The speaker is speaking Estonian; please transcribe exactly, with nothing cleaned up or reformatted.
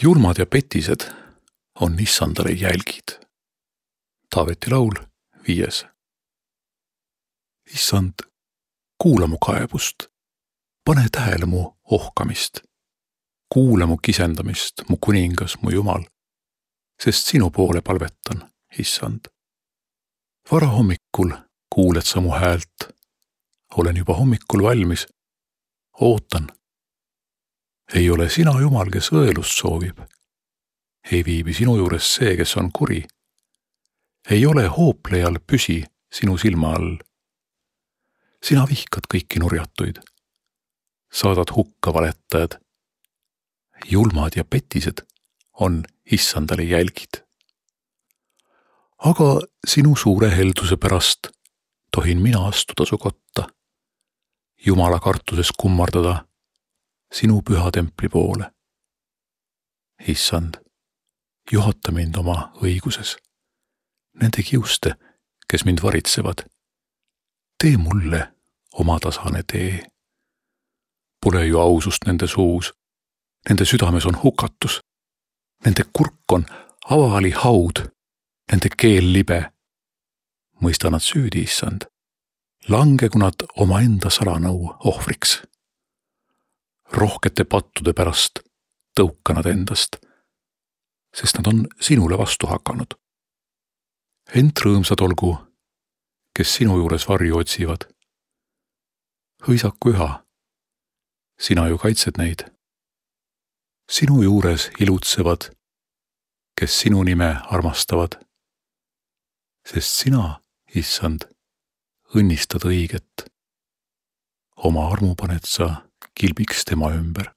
Julmad ja petised on issandale jälgid. Taaveti laul, viies. Issand, kuula mu kaebust, pane tähele mu ohkamist, kuula mu kisendamist, mu kuningas, mu Jumal, sest sinu poole palvetan, issand. Vara hommikul kuuled sa mu häält, olen juba hommikul valmis, ootan. Ei ole sina Jumal, kes õelust soovib. Ei viibi sinu juures see, kes on kuri. Ei ole hooplejal püsi sinu silma all. Sina vihkad kõiki nurjatuid. Saadad hukka valettajad. Julmad ja petised on issandale jälgid. Aga sinu suure helduse pärast tohin mina astuda su kotta, Jumala kartuses kummardada sinu püha templi poole. Issand, juhata mind oma õiguses. Nende kiuste, kes mind varitsevad, tee mulle oma tasane tee. Pole ju ausust nende suus, nende südames on hukatus, nende kurk on avali haud, nende keel libe. Mõista nad süüdi, issand, langegu nad oma enda salanõu ohvriks. Rohkete pattude pärast tõuka nad endast, sest nad on sinule vastu hakanud. Ent rõõmsad olgu, kes sinu juures varju otsivad. Hõisaku üha, sina ju kaitsed neid. Sinu juures ilutsevad, kes sinu nime armastavad, sest sina, issand, õnnistad õiget. Oma armu paned sa kilbiks tema ümber.